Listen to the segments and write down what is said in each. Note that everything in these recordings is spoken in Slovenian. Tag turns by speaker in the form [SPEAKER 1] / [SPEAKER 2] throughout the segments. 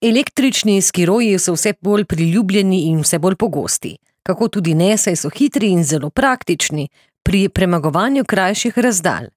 [SPEAKER 1] Električni skiroji so vse bolj priljubljeni in vse bolj pogosti. Kako tudi ne, saj so hitri in zelo praktični pri premagovanju krajših razdalj.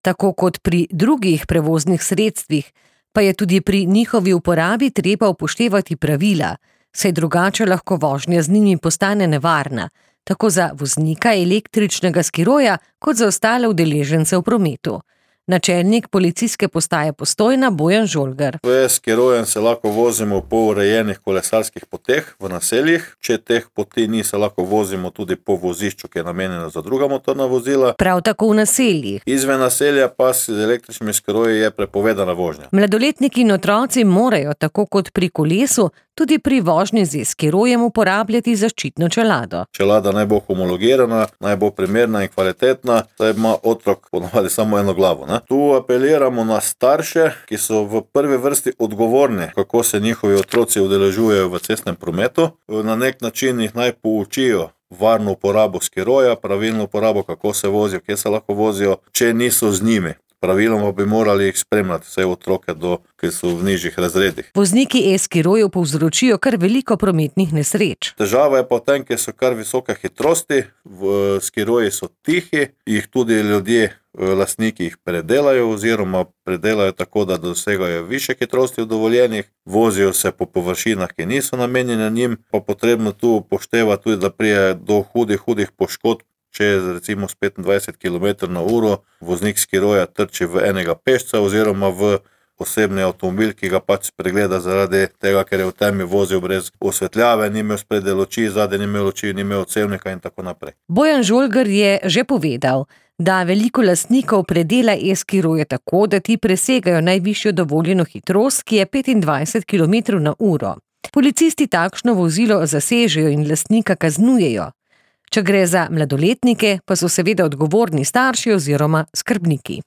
[SPEAKER 1] Tako kot pri drugih prevoznih sredstvih, pa je tudi pri njihovi uporabi treba upoštevati pravila, saj drugače lahko vožnja z njimi postane nevarna, tako za voznika električnega skiroja kot za ostale udeležence v prometu. Načelnik policijske postaje Postojna Bojan Žolgar.
[SPEAKER 2] S skirojem se lahko vozimo po urejenih kolesarskih poteh v naseljih. Če teh poti ni, se lahko vozimo tudi po vozišču, ki je namenjeno za druga motorna vozila.
[SPEAKER 1] Prav tako v naseljih.
[SPEAKER 2] Izven naselja pa s električnimi skiroji je prepovedana vožnja.
[SPEAKER 1] Mladoletniki in otroci morajo, tako kot pri kolesu, tudi pri vožnji z skirojem uporabljati zaščitno čelado.
[SPEAKER 2] Čelada naj bo homologirana, naj bo primerna in kvalitetna, saj ima otrok ponavadi samo eno glavo. Tu apeliramo na starše, ki so v prvi vrsti odgovorni, kako se njihovi otroci udeležujejo v cestnem prometu. Na nek način jih naj poučijo varno uporabo skiroja, pravilno uporabo, kako se vozijo, kje se lahko vozijo, če niso z njimi. Praviloma bi morali jih spremljati, vse otroke, ki so v nižjih razredih.
[SPEAKER 1] Vozniki e-skirojev povzročijo kar veliko prometnih nesreč.
[SPEAKER 2] Težava je pa v tem, ker so kar visoke hitrosti, skiroji so tihi, jih tudi ljudje, lastniki jih predelajo oziroma predelajo tako, da dosegajo višje hitrosti od dovoljenih, vozijo se po površinah, ki niso namenjene njim, pa potrebno tu upoštevati tudi, da prije do hudih poškodb. Če recimo s 25 km/h voznik skiroja trči v enega pešca oziroma v osebni avtomobil, ki ga pač spregleda zaradi tega, ker je v temi vozil brez osvetljave, ni imel spredaj luči, zadaj ni imel luči, ni imel odsevnika in tako naprej.
[SPEAKER 1] Bojan Žolgar je že povedal, da veliko lastnikov predela e-skiroje tako, da ti presegajo najvišjo dovoljeno hitrost, ki je 25 km/h. Policisti takšno vozilo zasežejo in lastnika kaznujejo. Če gre za mladoletnike, pa so seveda odgovorni starši oziroma skrbniki.